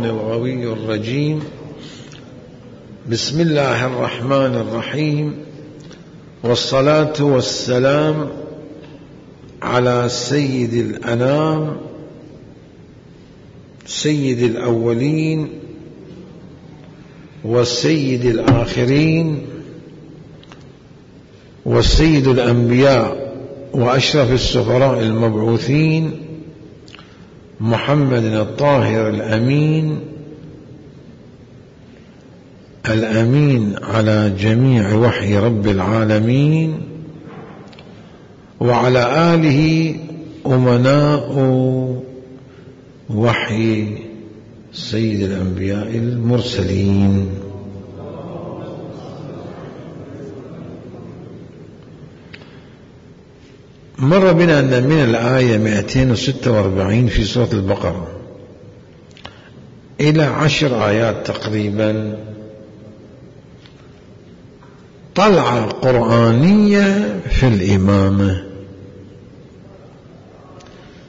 الغوي الرجيم. بسم الله الرحمن الرحيم، والصلاة والسلام على سيد الأنام، سيد الأولين والسيد الآخرين، والسيد الأنبياء وأشرف السفراء المبعوثين، محمد الطاهر الأمين، الأمين على جميع وحي رب العالمين، وعلى آله أمناء وحي سيد الأنبياء المرسلين. مر بنا أن من الآية 246 في سورة البقرة إلى 10 آيات تقريبا طلعة قرآنية في الإمامة.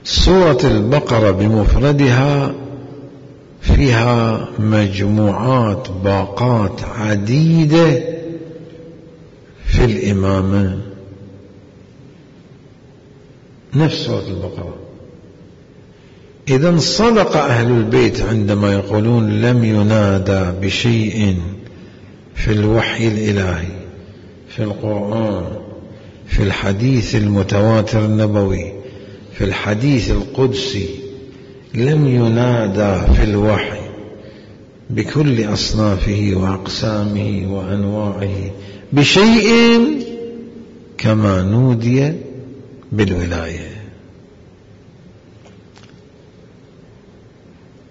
سورة البقرة بمفردها فيها مجموعات باقات عديدة في الإمامة، نفس سورة البقرة. إذن صدق أهل البيت عندما يقولون لم ينادى بشيء في الوحي الإلهي، في القرآن، في الحديث المتواتر النبوي، في الحديث القدسي، لم ينادى في الوحي بكل أصنافه وأقسامه وأنواعه بشيء كما نودي بالولاية.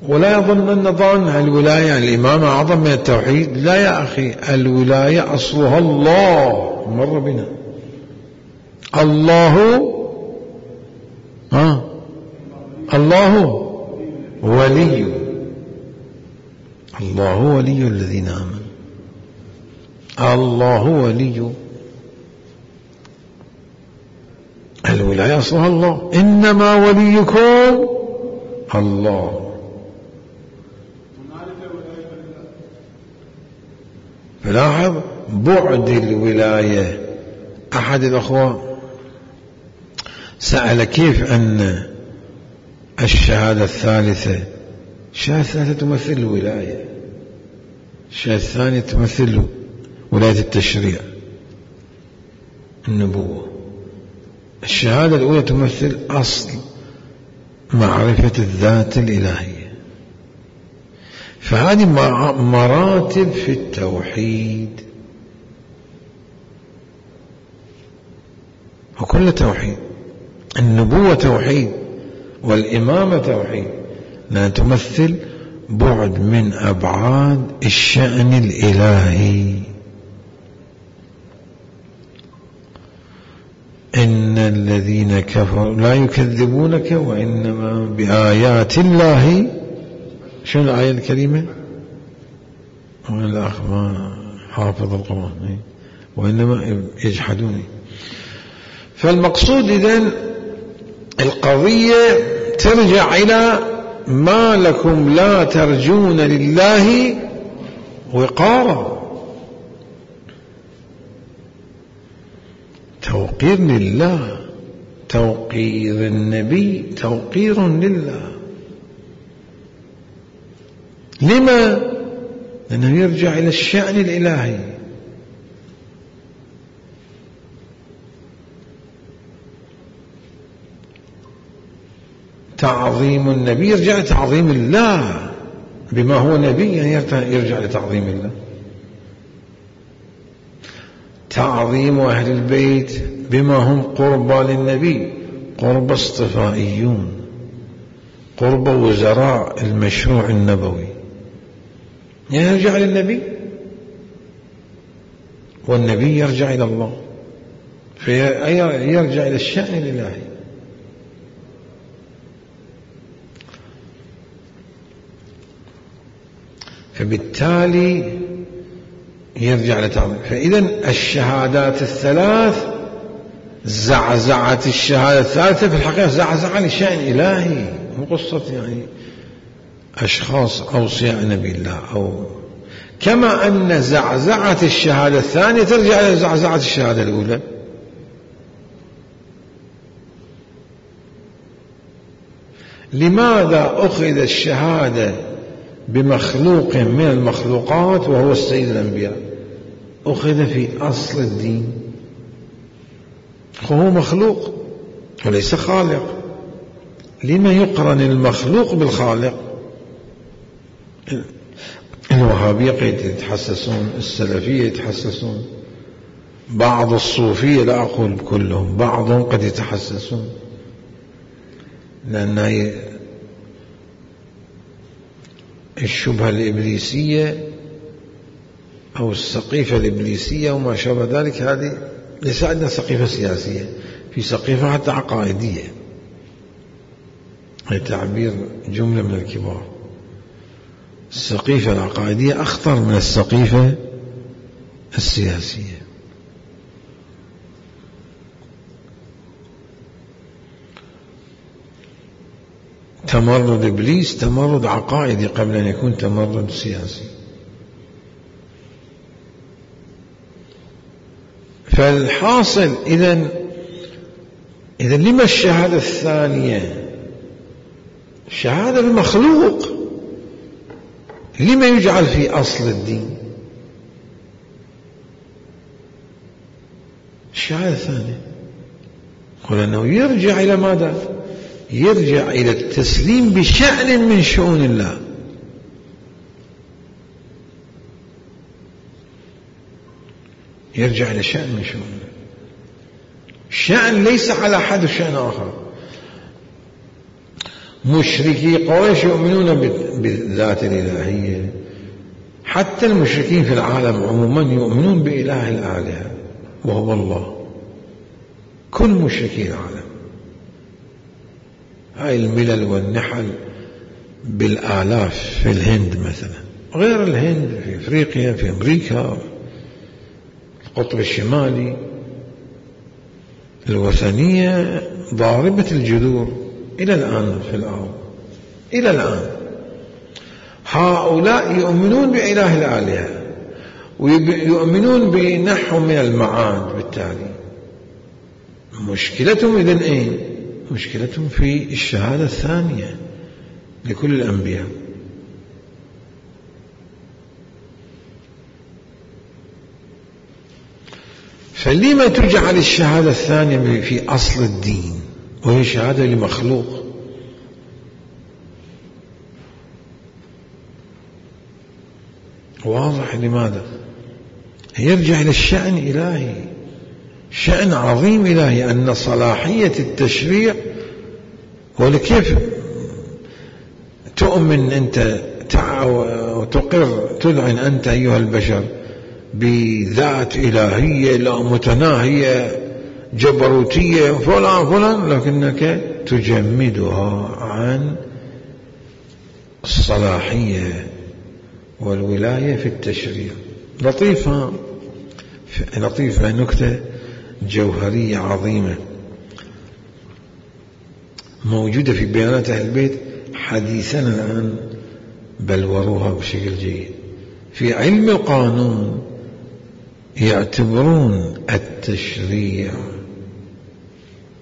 ولا يظن ظن الولاية الإمامة أعظم من التوحيد، لا يا أخي، الولاية أصلها الله. مر بنا الله ولي، الله ولي الذين آمنوا، الله ولي، الولاية أصلها الله، إنما وليكم الله. فلاحظ بعد الولاية. أحد الأخوة سأل كيف أن الشهادة الثالثة، الشهادة الثالثة تمثل الولاية، الشهادة الثانية تمثل ولاية التشريع النبوة، الشهادة الأولى تمثل أصل معرفة الذات الإلهية. فهذه مراتب في التوحيد، وكل توحيد. النبوة توحيد، والإمامة توحيد، لا تمثل بعد من أبعاد الشأن الإلهي. إن الذين كفروا لا يكذبونك وإنما بآيات الله. شنو الآية الكريمة؟ الأخ ما حافظ القرآن، وإنما يجحدوني. فالمقصود إذن القضية ترجع إلى ما لكم لا ترجون لله وقارا، توقير لله، توقير النبي توقير لله. لما؟ لأنه يرجع إلى الشأن الإلهي. تعظيم النبي يرجع لتعظيم الله بما هو نبي، يعني يرجع لتعظيم الله. تعظيم أهل البيت بما هم قربى للنبي، قرب اصطفائيون، قرب وزراء المشروع النبوي، يعني يرجع للنبي، والنبي يرجع إلى الله، فيرجع إلى الشأن الإلهي. فبالتالي يرجع لتعظيم. فإذا الشهادات الثلاث زعزعت الشهادة الثالثة في الحقيقة زعزعة لشأن إلهي، مو قصة يعني أشخاص أوصياء نبي الله، أو كما أن زعزعة الشهادة الثانية ترجع إلى زعزعة الشهادة الأولى. لماذا أخذ الشهادة بمخلوق من المخلوقات وهو السيد الأنبياء؟ أخذ في أصل الدين، هو مخلوق وليس خالق. لما يقرن المخلوق بالخالق؟ الوهابية قد يتحسسون، السلفية يتحسسون، بعض الصوفية، لا أقول كلهم، بعضهم قد يتحسسون، لأن الشبهة الإبليسية أو السقيفة الإبليسية وما شابه ذلك، هذه ليس عندنا سقيفة سياسية، في سقيفة حتى عقائدية، هي تعبير جملة من الكبار. السقيفة العقائدية أخطر من السقيفة السياسية. تمرد إبليس تمرد عقائدي قبل أن يكون تمرد سياسي. فالحاصل إذن لما الشهادة الثانية؟ شهادة المخلوق لما يجعل في أصل الدين؟ الشهادة الثانية قل أنه يرجع إلى ماذا؟ يرجع إلى التسليم بشأن من شؤون الله. يرجع إلى شأن من شؤون الله، شأن ليس على حد شأن آخر. مشركي قريش يؤمنون بالذات الإلهية، حتى المشركين في العالم عموما يؤمنون بإله الآلهة وهو الله، كل مشركي العالم. هاي الملل والنحل بالآلاف في الهند مثلا، غير الهند، في أفريقيا، في أمريكا، القطب الشمالي، الوثنية ضاربة الجذور إلى الآن في الأرض، إلى الآن. هؤلاء يؤمنون بإله الآلهة ويؤمنون بنحو من المعاد. بالتالي مشكلتهم إذن أين؟ مشكلتهم في الشهادة الثانية لكل الأنبياء. فلما تجعل الشهادة الثانية في أصل الدين وهي شهادة لمخلوق؟ واضح لماذا؟ يرجع إلى الشأن الإلهي، شأن عظيم إلهي، أن صلاحية التشريع. ولكيف تؤمن أنت وتقر تذعن أنت أيها البشر بذات إلهية لا متناهية جبروتية فلان، لكنك تجمدها عن الصلاحية والولاية في التشريع؟ لطيفة نكتة جوهرية عظيمة موجودة في بيانات أهل البيت حديثنا الآن، بلوروها بشكل جيد. في علم القانون يعتبرون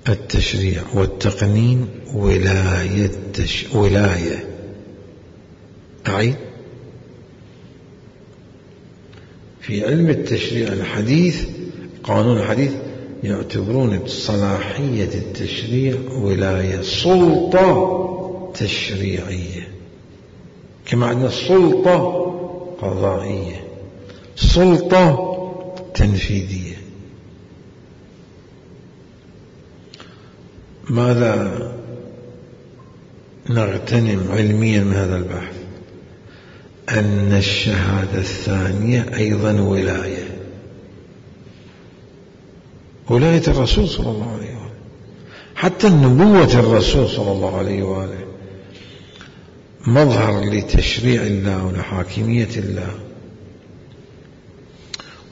التشريع والتقنين ولاية. أعيد، في علم التشريع الحديث، قانون الحديث، يعتبرون صلاحية التشريع ولاية، سلطة تشريعية، كما عندنا سلطة قضائية، سلطة تنفيذية. ماذا نغتنم علميا من هذا البحث؟ أن الشهادة الثانية أيضا ولاية الرسول صلى الله عليه وآله، حتى النبوة الرسول صلى الله عليه وآله مظهر لتشريع الله ولحاكمية الله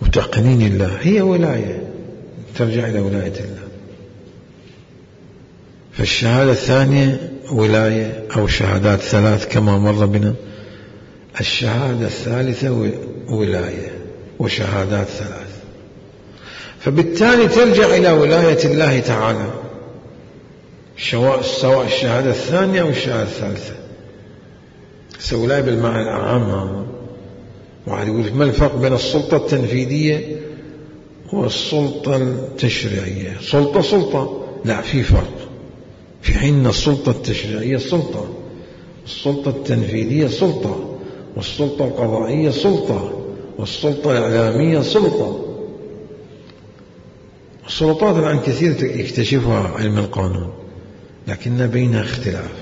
وتقنين الله، هي ولاية ترجع إلى ولاية الله. فالشهادة الثانية ولاية أو شهادات ثلاث كما مر بنا. الشهادة الثالثة ولاية وشهادات ثلاث، فبالتالي ترجع إلى ولاية الله تعالى سواء الشهادة الثانية أو الشهادة الثالثة. ولاية بالمعنى الأعم. واحد يقول ما الفرق بين السلطة التنفيذية والسلطة التشريعية؟ سلطة لا، في فرق. في حين أن السلطة التشريعية سلطة، السلطة التنفيذية سلطة، والسلطة القضائية سلطة، والسلطة الإعلامية سلطة. السلطات الآن كثير يكتشفها علم القانون، لكن بينها اختلاف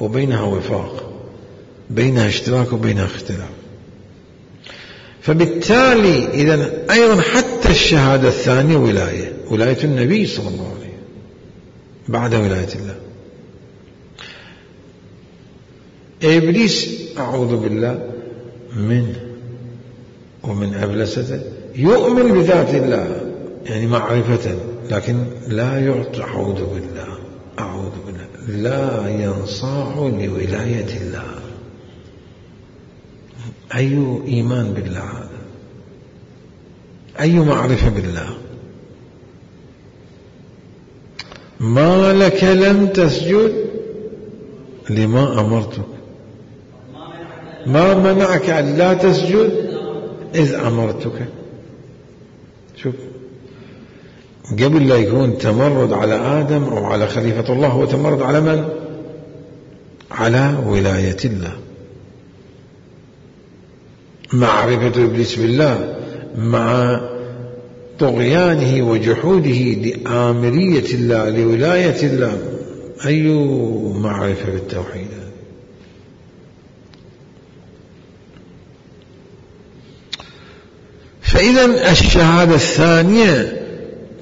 وبينها وفاق، بينها اشتراك وبينها اختلاف. فبالتالي إذن أيضا حتى الشهادة الثانية ولاية النبي صلى الله عليه وسلم بعد ولاية الله. إبليس أعوذ بالله منه ومن أبلسته يؤمن بذات الله يعني معرفة، لكن لا يعطي أعوذ بالله لا ينصاع لولاية الله. أي إيمان بالله هذا؟ أي معرفة بالله؟ ما لك لم تسجد لما أمرتك، ما منعك أن لا تسجد إذ أمرتك. شوف، قبل لا يكون تمرد على آدم أو على خليفة الله، هو تمرد على من؟ على ولاية الله. معرفة إبليس بالله مع طغيانه وجحوده لآمرية الله لولاية الله، أي معرفة بالتوحيد؟ فإذا الشهادة الثانية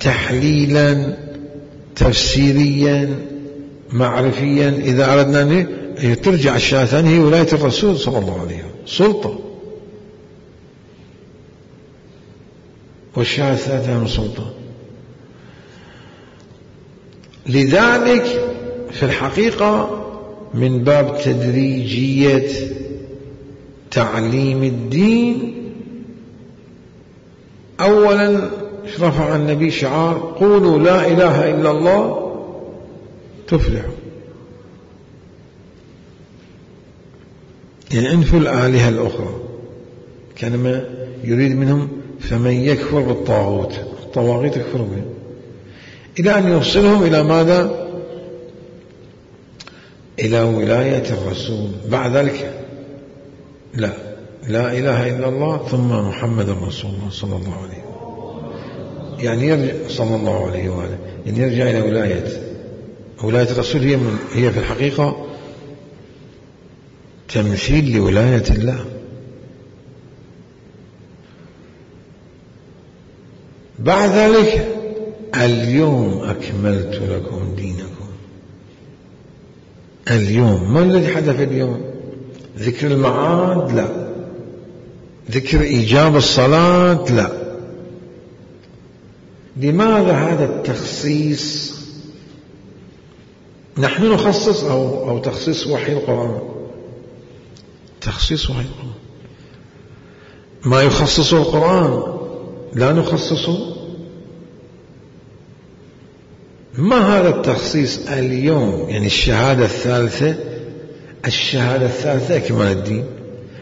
تحليلا تفسيريا معرفيا، إذا أردنا أن ترجع الشهادة الثانية هي ولاية الرسول صلى الله عليه وسلم سلطة، والشهادة الثالثة سلطة. لذلك في الحقيقة من باب تدريجية تعليم الدين، أولا رفع النبي شعار قولوا لا إله إلا الله تفلحوا، يعني انفوا الآلهة الأخرى. كانما يريد منهم فمن يكفر بالطاغوت، الطواغيت يكفر بهم، إلى أن يوصلهم إلى ماذا؟ إلى ولاية الرسول. بعد ذلك لا إله إلا الله ثم محمد رسول الله صلى الله عليه وسلم، يعني يرجع صلى الله عليه وآله، يعني يرجع إلى ولاية الرسول. هي في الحقيقة تمثيل لولاية الله. بعد ذلك اليوم أكملت لكم دينكم. اليوم ما الذي حدث اليوم؟ ذكر المعاد؟ لا. ذكر إيجاب الصلاة؟ لا. لماذا هذا التخصيص؟ نحن نخصص أو تخصيص وحي القرآن؟ تخصيص وحي القرآن. ما يخصصه القرآن لا نخصصه. ما هذا التخصيص اليوم؟ يعني الشهادة الثالثة إكمال الدين.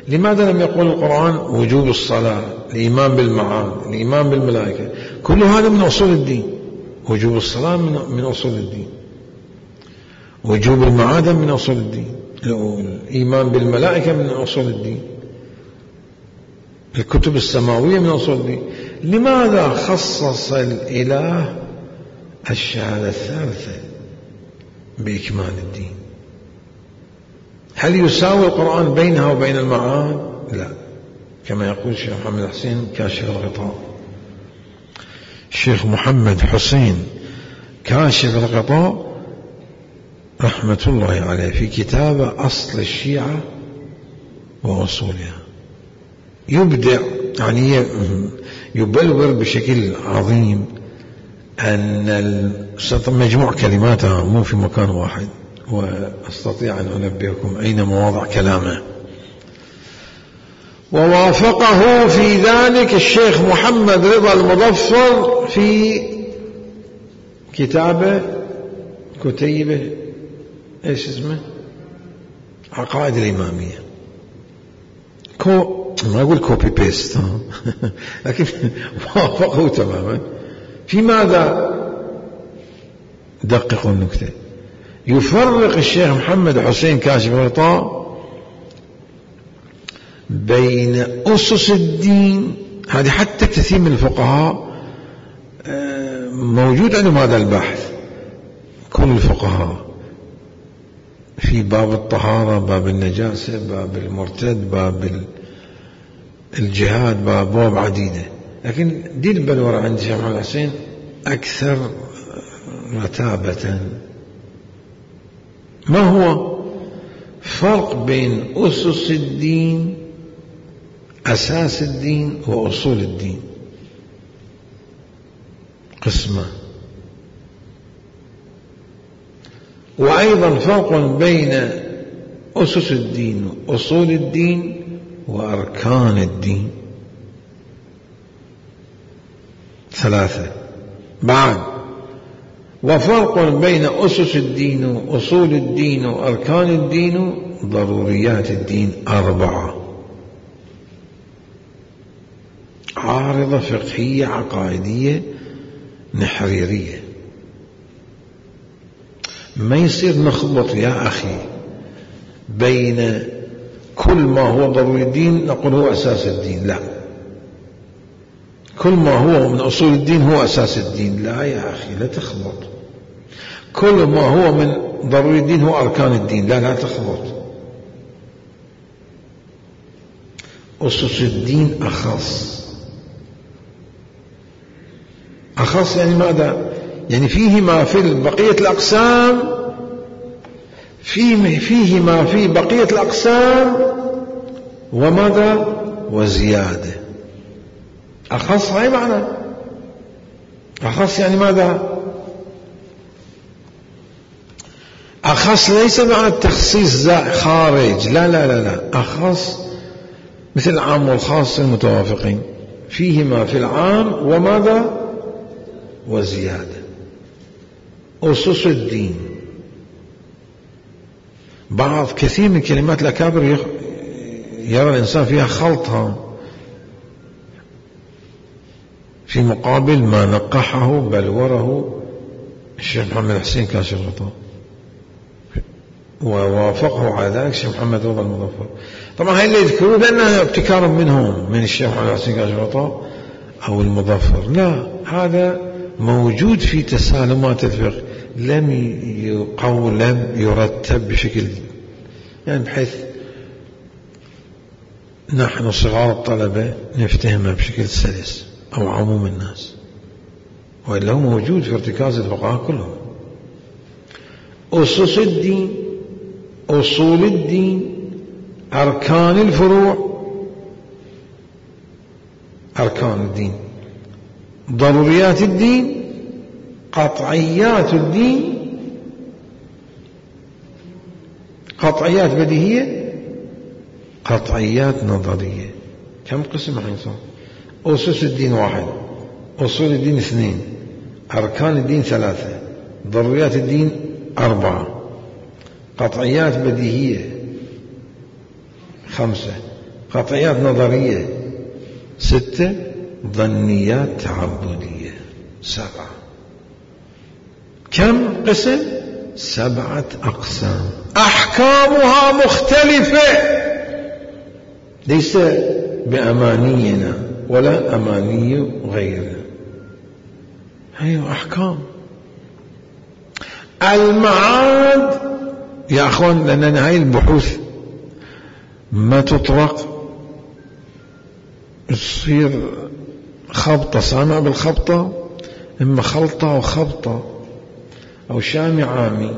لماذا لم يقول القرآن وجوب الصلاة، الإيمان بالمعاد، الإيمان بالملائكة؟ كل هذا من أصول الدين. وجوب الصلاة من أصول الدين، وجوب المعاد من أصول الدين، الإيمان بالملائكة من أصول الدين، الكتب السماوية من أصول الدين. لماذا خصص الإله الشهادة الثالثة بإكمال الدين؟ هل يساوي القرآن بينها وبين المعاد؟ لا، كما يقول الشيخ محمد حسين كاشف الغطاء. الشيخ محمد حسين كاشف الغطاء رحمة الله عليه في كتابه أصل الشيعة وأصولها يبدع، يعني يبلور بشكل عظيم أن مجموع كلماتها مو في مكان واحد، وأستطيع أن أنبهكم أين مواضع كلامه. ووافقه في ذلك الشيخ محمد رضا المظفر في كتيبه ايش اسمه؟ عقائد الإمامية. ما أقول كوبي بيست لكن وافقه تماما. في ماذا؟ دققوا النكتة. يفرق الشيخ محمد حسين كاشف الغطاء بين أسس الدين، هذه حتى كثير من الفقهاء موجود عندهم هذا البحث، كل الفقهاء في باب الطهارة، باب النجاسة، باب المرتد، باب الجهاد، باب عديدة، لكن دي البلورة عند الشيخ محمد حسين أكثر رتابة. ما هو فرق بين أسس الدين، أساس الدين، وأصول الدين؟ قسمة. وأيضا فرق بين أسس الدين وأصول الدين وأركان الدين، 3. بعد وفرق بين أسس الدين وأصول الدين وأركان الدين ضروريات الدين، 4. عارضة فقهية عقائدية نحريرية. ما يصير نخلط يا أخي بين كل ما هو ضروري الدين نقول هو أساس الدين، لا. كل ما هو من أصول الدين هو أساس الدين، لا يا أخي لا تخلط. كل ما هو من ضروري الدين هو أركان الدين، لا تخلط. أسس الدين أخص يعني ماذا؟ يعني فيه ما في بقية الأقسام، فيه ما في بقية الأقسام وماذا؟ وزيادة. أخص هاي معنى أخص يعني ماذا؟ أخص ليس معنى التخصيص خارج، لا. أخص مثل العام والخاص المتوافقين، فيه ما في العام وماذا؟ وزيادة. أسس الدين بعض كثير من كلمات الأكابر يرى الإنسان فيها خلطها، في مقابل ما نقحه بلوره الشيخ محمد حسين كاشف الغطاء، ووافقه على ذلك الشيخ محمد رضا المظفر. طبعا هاي اللي يذكرون لأنها ابتكار منهم، من الشيخ محمد حسين كاشف الغطاء أو المظفر، لا، هذا موجود في تسالمات الفقه، لم يرتب بشكل يعني بحيث نحن صغار الطلبة نفتهمها بشكل سلس أو عموم الناس، وإلا هو موجود في ارتكاز الفقهاء كلهم. أسس الدين، أصول الدين، أركان الفروع، أركان الدين، ضروريات الدين، قطعيات الدين، قطعيات بديهية، قطعيات نظرية. كم قسم حيصير؟ أسس الدين 1، أصول الدين 2، أركان الدين 3، ضروريات الدين 4، قطعيات بديهية 5، قطعيات نظرية 6، ظنيات تعبدية 7. كم قسم؟ 7 أقسام، أحكامها مختلفة، ليس بأمانينا ولا أماني غيرنا، هي أحكام. المعاد يا أخوان، لأن هاي البحوث ما تطرق، تصير خبطة، سامع بالخبطة، إما خلطة أو خبطة أو شامي عامي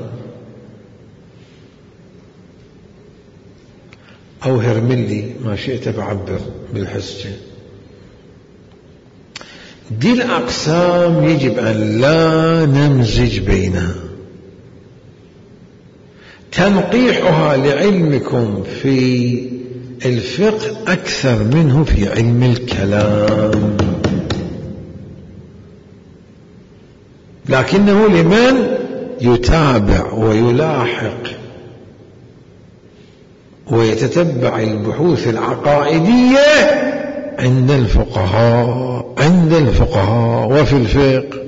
أو هرملي، ما شئت بعبر بالحسجة. دي الأقسام يجب أن لا نمزج بينها، تنقيحها لعلمكم في الفقه أكثر منه في علم الكلام، لكنه لمن يتابع ويلاحق ويتتبع البحوث العقائدية عند الفقهاء وفي الفقه.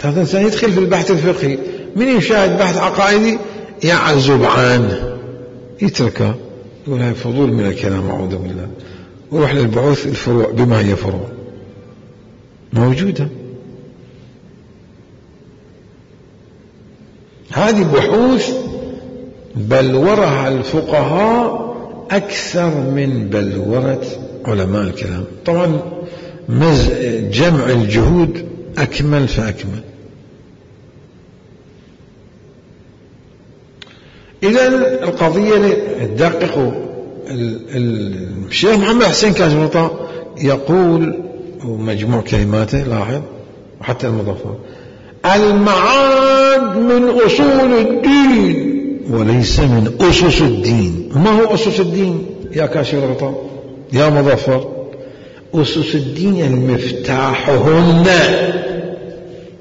هذا الإنسان يدخل في البحث الفقهي، من يشاهد بحث عقائدي يعزب عنه، يتركه، يقول هاي فضول من الكلام أعوذ بالله، ويروح للبحوث الفروع بما هي فروع موجودة. هذه بحوث بلورها الفقهاء أكثر من بلورة علماء الكلام. طبعا جمع الجهود أكمل فأكمل. إذن القضية تدققوا. الشيخ محمد حسين كاشف يقول، ومجموع كلماته لاحظ وحتى المضافات: المعاد من أصول الدين وليس من أسس الدين. ما هو أسس الدين يا كاشف الغطاء يا مظفر؟ أسس الدين يعني مفتاحهن،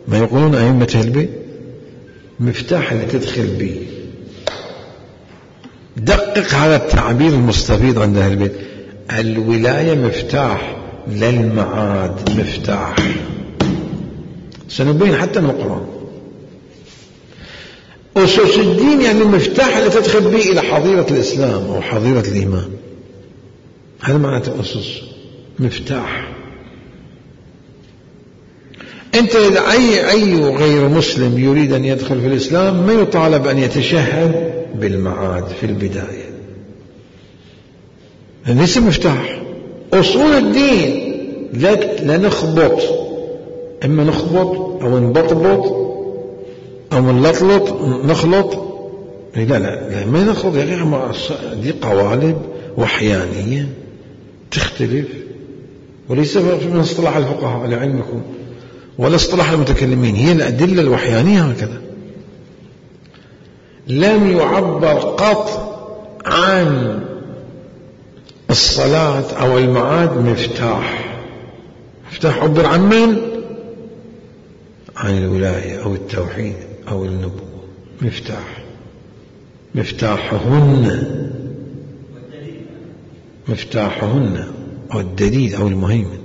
ما يقولون أئمة البيت، مفتاح اللي تدخل به. دقق هذا التعبير المستفيض عند أهل البيت. الولاية مفتاح، للمعاد مفتاح. سنبين حتى من القرآن. أسس الدين يعني المفتاح اللي تدخل به إلى حظيرة الإسلام أو حظيرة الإيمان. هذا معنى أسس، مفتاح. أنت أي غير مسلم يريد أن يدخل في الإسلام ما يطالب أن يتشهد بالمعاد في البداية، ليس مفتاح. أصول الدين لا نخبط، إما نخبط أو نبطبط أو نلطلط نخلط. لا ما نخلط يا أخي، دي قوالب وحيانية تختلف، وليس من اصطلاح الفقهاء لعلمكم ولا اصطلاح المتكلمين، هي الأدلة الوحيانية هكذا. لم يعبر قط عن الصلاة أو المعاد مفتاح. مفتاح عبر عن من؟ عن الولاية أو التوحيد أو النبوة. مفتاحهن أو الدليل أو المهيمن.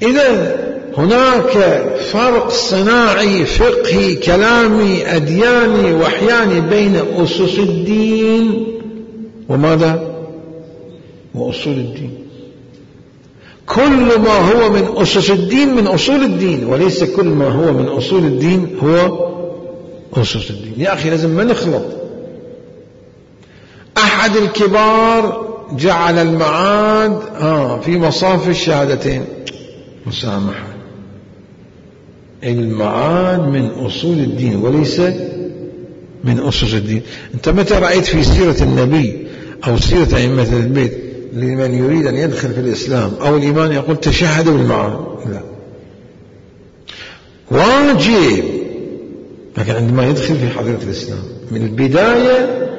إذن هناك فرق صناعي فقهي كلامي أدياني وحياني بين أسس الدين وماذا؟ وأصول الدين. كل ما هو من أسس الدين من أصول الدين، وليس كل ما هو من أصول الدين هو أسس الدين. يا أخي لازم ما نخلط. أحد الكبار جعل المعاد في مصاف الشهادتين، مسامحة. المعاد من أصول الدين وليس من أسس الدين. أنت متى رأيت في سيرة النبي أو سيرة أئمة البيت لمن يريد أن يدخل في الإسلام أو الإيمان يقول تشهد بالمعاد؟ لا، واجب. لكن عندما يدخل في حضيرة الإسلام من البداية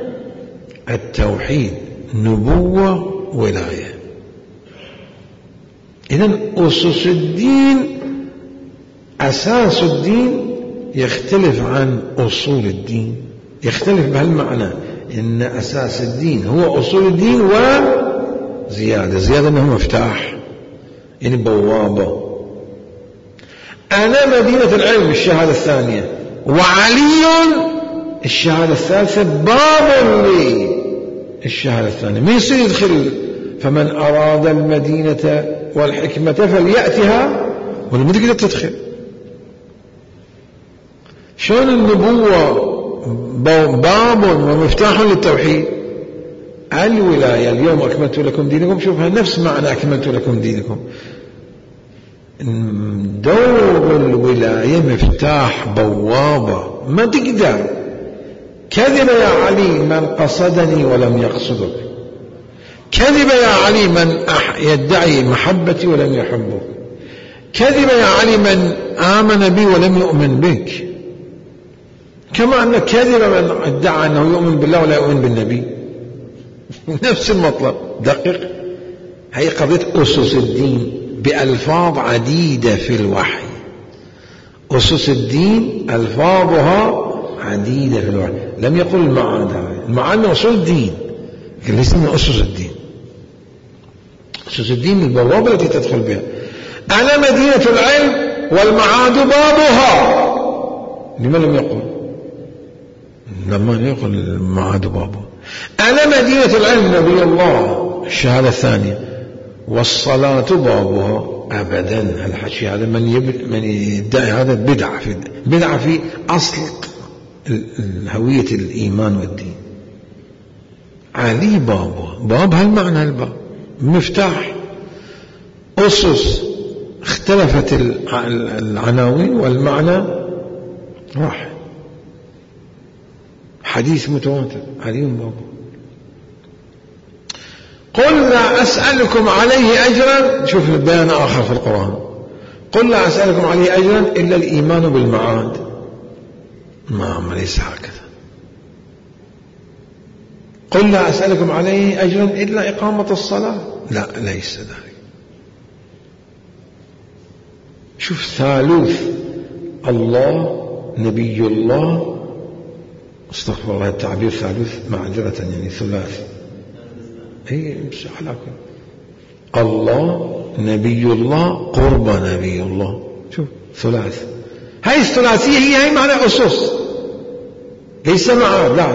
التوحيد، نبوة، ولاية. إذن أسس الدين، أساس الدين يختلف عن أصول الدين، يختلف بهالمعنى إن أساس الدين هو أصول الدين وزيادة أنه مفتاح، يعني بوابة. أنا مدينة العلم الشهادة الثانية، وعلي الشهادة الثالثة باب لي الشهادة الثانية. ما يصير يدخل فمن أراد المدينة والحكمة فليأتها، ولا ما تقدر تدخل. شلون النبوة باب ومفتاح للتوحيد؟ الولاية اليوم أكملت لكم دينكم، شوفها نفس معنى أكملت لكم دينكم. دور الولاية مفتاح، بوابة، ما تقدر. كذب يا علي من قصدني ولم يقصدك، كذب يا علي من يدعي محبتي ولم يحبك، كذب يا علي من آمن بي ولم يؤمن بك. كما أن كذب من ادعى أنه يؤمن بالله ولا يؤمن بالنبي. نفس المطلب. دقق، هي قضية أسس الدين بألفاظ عديدة في الوحي. أسس الدين ألفاظها عديدة في الوحي. لم يقل المعاد، المعاد من أصول الدين لكن ليس من أسس الدين. أسس الدين البوابة التي تدخل بها. أنا مدينة العلم والمعاد بابها. لما لم يقل؟ لما يقل المعاد بابها. أنا مدينة العلم نبي الله، الشهادة الثانية، والصلاة بابها. أبدا، الحكي هذا من يدعي هذا بدعة في أصل هوية الإيمان والدين. علي بابها، باب هالمعنى، الباب مفتاح. أسس اختلفت العناوين والمعنى راح. حديث متواتر، علي بابها. قل لا أسألكم عليه أجرا. شوف البيان آخر في القرآن. قل لا أسألكم عليه أجرا إلا الإيمان بالمعاد. ما ليس هكذا. قل لا أسألكم عليه أجرا إلا إقامة الصلاة. لا، ليس ذلك. شوف، ثالوث الله نبي الله، استغفر الله التعبير ثالوث معذرة، يعني ثلاث. اي امسح لكم الله نبي الله قرب نبي الله. شوف، ثلاث. هاي الثلاثية هي معنى أسس، ليس معاد. لا،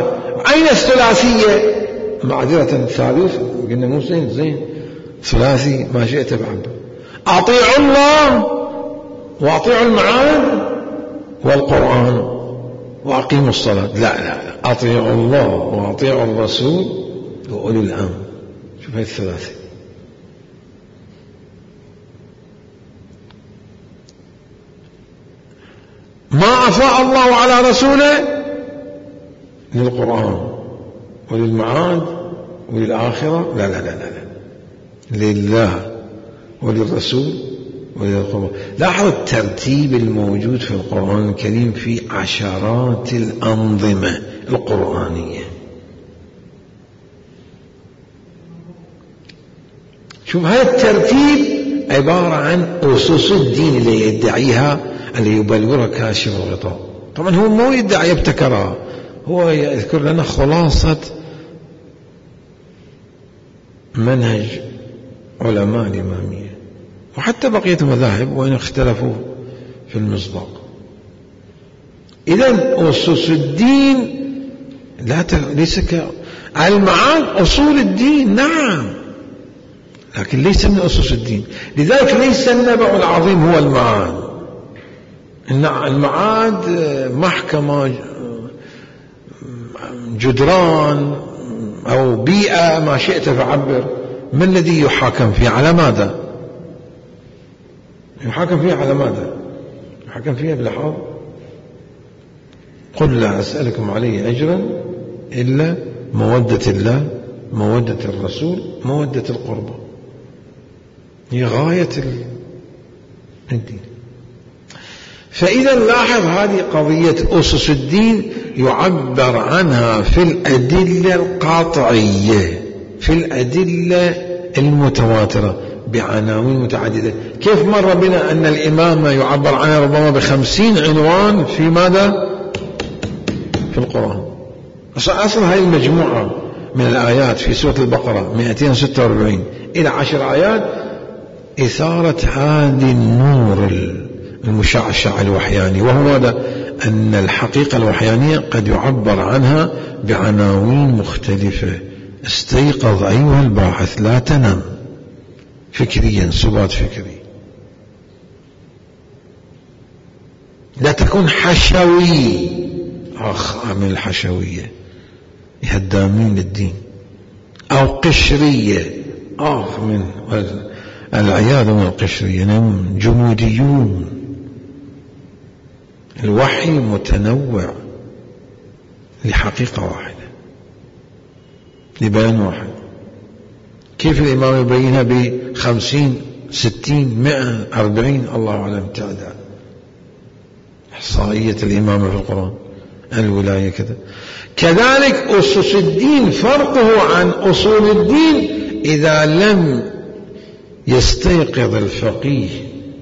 أين الثلاثية؟ معذرة ثالوث، قلنا مو زين ثلاثي ما شئت بعبد. أطيعوا الله وأطيعوا المعاد والقرآن وأقيموا الصلاة. لا، أطيعوا الله وأطيعوا الرسول وأولي الأمر. شوف هاي الثلاثة. ما أفاء الله على رسوله للقرآن وللمعاد وللآخرة. لا، لله وللرسول وللقرآن. لاحظ الترتيب الموجود في القرآن الكريم في عشرات الأنظمة القرآنية. شوف، هذا الترتيب عبارة عن أسس الدين اللي يدعيها، اللي يبلورها كاشف الغطاء. طبعا هو مو يدعي يبتكرها، هو يذكر لنا خلاصة منهج علماء الإمامية وحتى بقية المذاهب وإن اختلفوا في المصداق. إذن أسس الدين ليس المعاد أصول الدين، نعم، لكن ليس من أسس الدين. لذلك ليس النبع العظيم هو المعاد. المعاد محكمة، جدران أو بيئة، ما شئت فعبر. ما الذي يحاكم فيه؟ على ماذا يحاكم فيه؟ على ماذا يحاكم فيه؟ بالحاضر. قل لا أسألكم عليه أجرا إلا مودة الله، مودة الرسول، مودة القربى. هي غاية الدين. فإذا لاحظ هذه قضية أسس الدين يعبر عنها في الأدلة القاطعية، في الأدلة المتواترة بعناوين متعددة. كيف مر بنا أن الإمامة يعبر عنها ربما ب50 عنوان في ماذا؟ في القرآن. أصل هذه المجموعة من الآيات في سورة البقرة 246 إلى 10 آيات إثارة هذه النور المشعشع الوحياني، وهو ماذا؟ أن الحقيقة الوحيانية قد يعبر عنها بعناوين مختلفة. استيقظ أيها الباحث، لا تنم فكريا، سبات فكري. لا تكون حشوي، من الحشوية هدامين للدين، أو قشرية، من العياذ من القشرية، جموديون. الوحي متنوع لحقيقة واحدة، لبيان واحد. كيف الإمام يبينها ب50 60 100 40 الله أعلم تعداد إحصائية الإمامة في القرآن. الولاية كذا. كذلك أسس الدين فرقه عن أصول الدين إذا لم يستيقظ الفقيه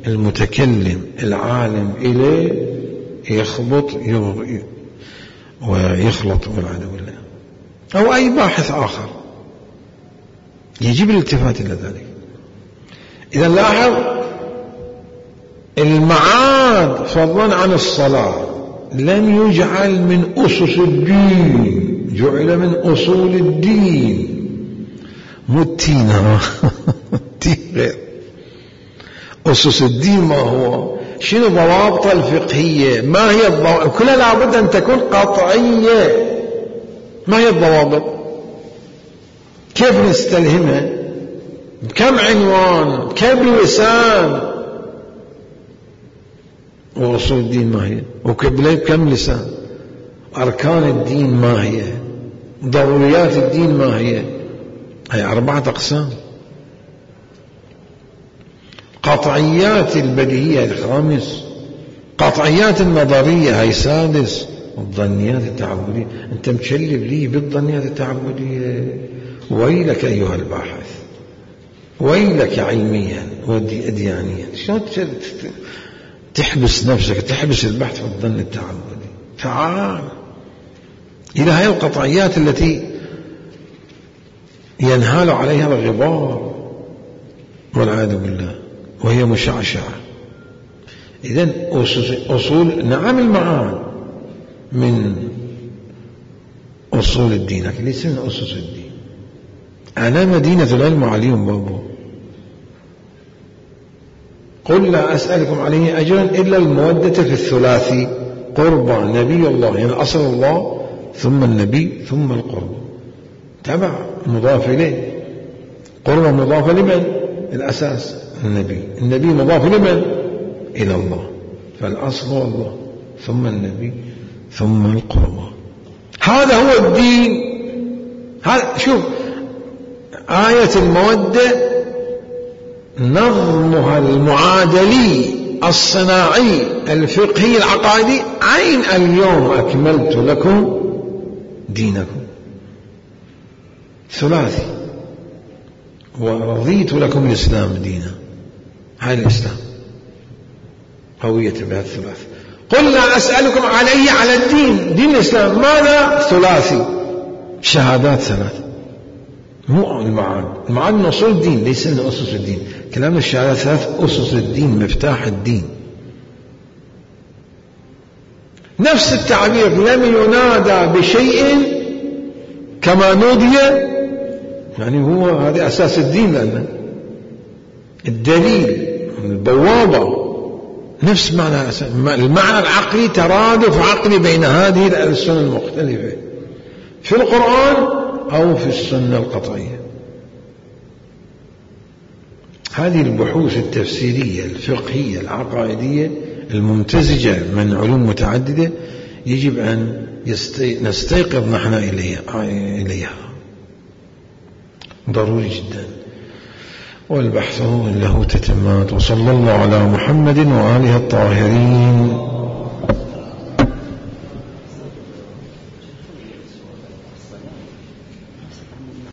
المتكلم العالم إليه يخبط ويخلط والعياذ بالله، أو أي باحث آخر يجب الالتفات إلى ذلك. إذا لاحظ المعاد فضلا عن الصلاة لم يجعل من أسس الدين، جعل من أصول الدين. مو التين غير أسس الدين. ما هو شنو ضوابط الفقهية؟ ما هي الضوابط؟ كلها لابد أن تكون قطعية. ما هي الضوابط؟ كيف نستلهمها؟ بكم عنوان؟ بكم لسان؟ وأصول الدين ما هي؟ بكم لسان؟ أركان الدين ما هي؟ ضروريات الدين ما هي؟ هي 4 أقسام. قطعيات البديهية هي 5، قطعيات النظرية هي 6، والظنيات التعبدية. أنت متشلب لي بالظنيات التعبدية. ويلك أيها الباحث، ويلك علميا وديانيا. شلون تحبس نفسك، تحبس البحث في الظن التعبدي؟ تعال إلى هذه القطعيات التي ينهال عليها الغبار والعياذ بالله وهي مشعشعة. إذن أصول، نعم المعاد من أصول الدين، لكن ليس من أسس الدين. أنا مدينة العلم عليهم بابو. قل لا أسألكم عليه أجرا إلا المودة في الثلاثي، قربى نبي الله، يعني أصل الله ثم النبي ثم القربى، تبع مضاف إليه. قربى مضاف لمن؟ الأساس النبي، النبي مضاف لمن؟ إلى الله، فالأصل هو الله ثم النبي ثم القربى. هذا هو الدين. هذا شوف آية المودة نظمها المعادلي الصناعي الفقهي العقائدي عين اليوم أكملت لكم دينكم، ثلاثي، ورضيت لكم الإسلام دينا. هاي الإسلام قوية بهذا الثلاث. قل لا أسألكم عليه على الدين، دين الإسلام ماذا؟ ثلاثي، شهادات 3. مو المعاد، المعاد من أصول الدين ليس من أسس الدين. كلام الشهادات 3 أسس الدين، مفتاح الدين. نفس التعبير لم ينادى بشيء كما نودي، يعني هو هذا أساس الدين، لأن الدليل البوابة نفس معنى المعنى العقلي، ترادف عقلي بين هذه الألسن المختلفة في القرآن أو في السنة القطعية. هذه البحوث التفسيرية الفقهية العقائدية الممتزجة من علوم متعددة يجب أن نستيقظ نحن إليها، ضروري جدا. والبحث له تتمات. وصلى الله على محمد وآله الطاهرين.